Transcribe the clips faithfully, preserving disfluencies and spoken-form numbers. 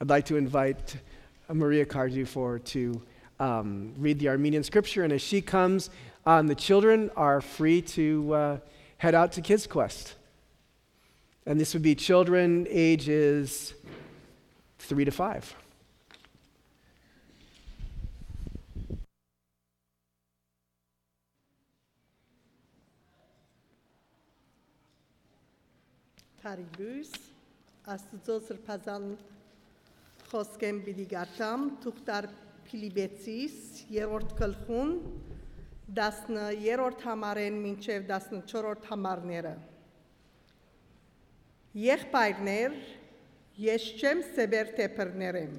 I'd like to invite Maria Cardew forward to um, read the Armenian scripture, and as she comes, um, the children are free to uh, head out to Kids Quest. And this would be children ages three to five. Բարի լոյս, Աստուծոյ սրբազան խօսքէն պիտի կարդամ, թուղթար Փիլիպեցիս, երրորդ գլխուն, տասներրորդ համարէն մինչեւ տասնչորսերորդ համարները։ Եղբայրներ, ես չեմ սեպեր թէ բռներ եմ,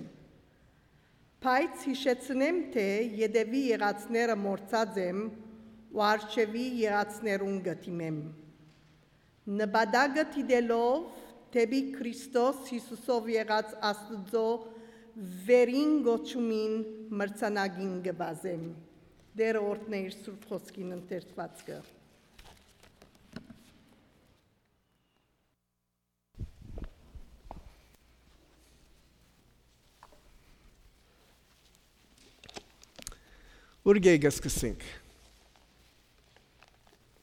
բայց յիշեցնեմ թէ ետեւի եղածները մոռցած եմ ու առջեւի եղածներուն կը դիմեմ։ Նպատակը դիտելով դէպի Քրիստոս Յիսուսով եղած Աստուծոյ վերին կոչումին մրցանակին կը վազեմ։ Տէրը օրհնէ իր սուրբ խօսքին ընթերցուածքը։ Ուրկէ կը սկսենք։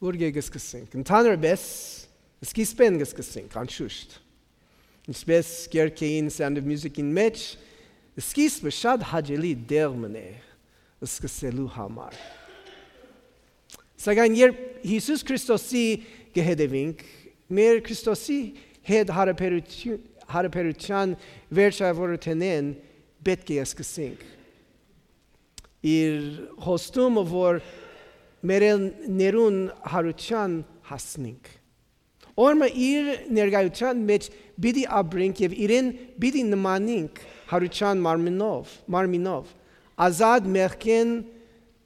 Ուրկէ կը սկսենք։ Ընդհանրապէս, սկիզբէն կը սկսենք, անշուշտ։ Ինչպէս կերկեին Sound of Music-ին մէջ, սկիզբը շատ հաճելի դեղ մըն է սկսելու համար։ Սակայն երբ Յիսուս Քրիստոսի կը հետևինք, մեր Քրիստոսի հետ յարաբերութիւն-, յարաբերութեան վերջաւորութենէն պէտք է սկսենք։ Իր խոստումը, որ մեռելներուն յարութեան հասնենք։ Օրը իր ներկայութեան մէջ պիտի ապրենք եւ իրեն պիտի նմանենք յարութեան մարմինով, մարմինով, ազատ մեղքէն,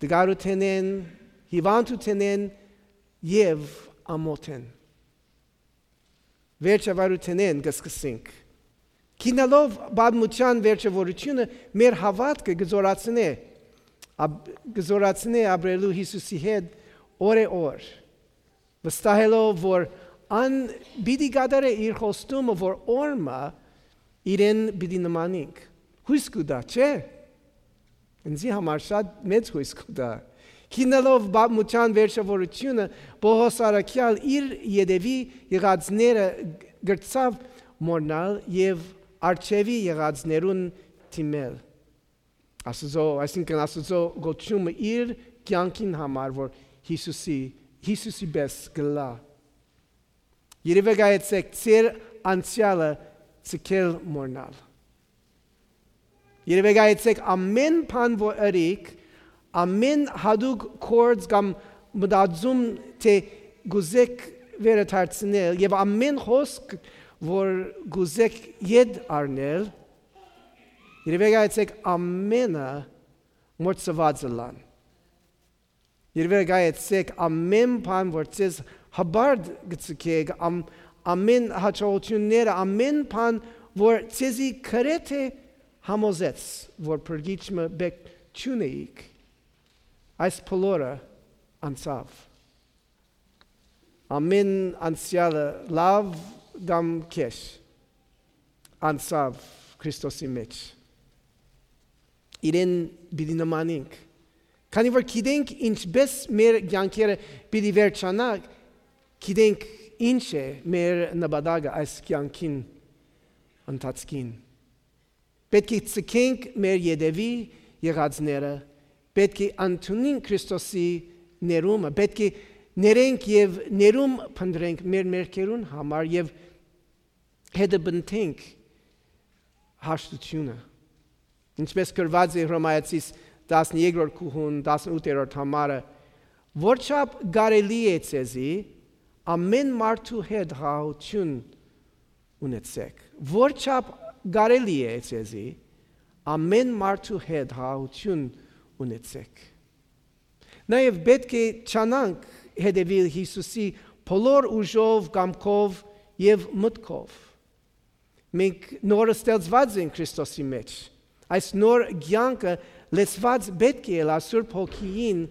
տկարութենէն, հիւանդութենէն եւ ամօթէն։ Վերջավարութենէն կը սկսենք։ Քիննալով պատմութեան վերջավորութիւնը, մեր հաւատքը կը զօրացնէ, ա, կը զօրացնէ ապրելու Յիսուսի հետ օրէ օր, վստահելով, որ ան պիտի կատարէ իր խոստումը, որ օրը մը իրեն պիտի նմանենք։ Յոյս կու տայ, չէ՞։ Ինձի համար շատ մեծ յոյս կու տայ։ Քիննալով պատմութեան վերջավորութիւնը, Պօղոս առաքեալ իր ետեւի եղածները կրցաւ մոռնալ եւ առջեւի եղածներուն դիմել։ Աստուծոյ, այսինքն Աստուծոյ կոչումը իր կեանքին համար, որ Յիսուսի, Յիսուսի պէս կ'ըլլայ։ Երբեք այցեք ձեր անցեալը ձգել մոռնալ։ Երբեք այցեք ամէն բան, որ ըրիք, ամէն յատուկ գործ կամ մտածում, թէ կ'ուզէք վերադարձնել եւ ամէն խօսք, որ կ'ուզէք ետ առնել, երբեք այցեք ամէնը մոռցուած ըլլան։ Երբեք այցեք ամէն բան, որ ձեզ հպարտ կը ձգէք, ամ-, ամէն յաջողութիւնները, ամէն բան, որ ձեզի գրեթէ համոզեց, որ փրկիչ մը պէտք չունէիք, այս բոլորը անցաւ։ Ամէն անցեալը, լաւ կամ գէշ, անցաւ Քրիստոսի մէջ։ Իրեն պիտի նմանենք, քանի որ գիտենք ինչպէս մեր կեանքերը պիտի վերջանայ, գիտենք ինչ է մեր նպատակը այս կեանքին ընթացքին։ Պէտք է ձգենք մեր ետեւի եղածները, պէտք է ընդունենք Քրիստոսի ներումը, պէտք է ներենք եւ ներում փնտռենք մեր մեղքերուն համար եւ հետապնդենք հաշտութիւնը։ Ինչպէս գրուած է Հռոմայացիս տասներկրորդ գլխուն, տասնութերորդ համարը, որչափ կարելի է ձեզի, ամէն մարդու հետ խաղաղութիւն ունեցեք։ Որչափ կարելի է ձեզի, ամէն մարդու հետ խաղաղութիւն ունեցեք։ Նաեւ պէտք է ջանանք հետեւիլ Յիսուսի բոլոր ուժով, կամքով եւ մտքով։ Մենք նոր ստեղծուած ենք Քրիստոսի մէջ։ Այս նոր կեանքը լեցուած պէտք է ըլլայ Սուրբ Հոգիին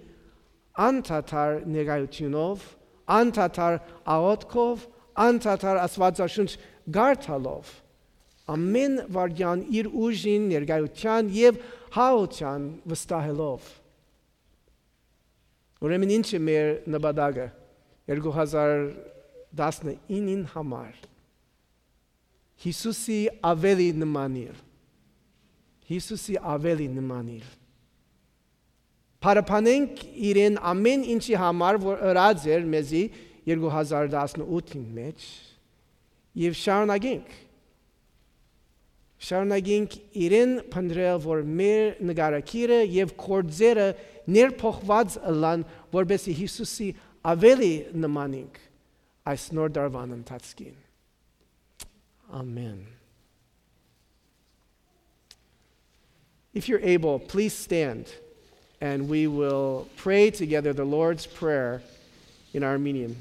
անդադար ներկայութիւնով, անդադար աղօթքով, անդադար Աստուածաշունչ կարդալով, Ամէն վայրկեան իր ուժին, ներկայութեան եւ հաղթութեան վստահելով։ Ուրեմն ի՞նչ է մեր նպատակը երկու հազար տասնինին համար։ Յիսուսի աւելի նմանիլ։ Յիսուսի աւելի նմանիլ։ Փառաբանենք իրեն ամէն ինչի համար, որ ըրած էր մեզի երկու հազար տասնութին մէջ, եւ շարունակենք։ Շարունակենք իրեն փնտռել, որ մեր նկարագիրը եւ գործերը ներփոխուած ըլլան, որպեսզի Յիսուսի աւելի նմանենք այս նոր տարուան ընթացքին։ Ամէն։ If you're able, please stand and we will pray together the Lord's Prayer in Armenian.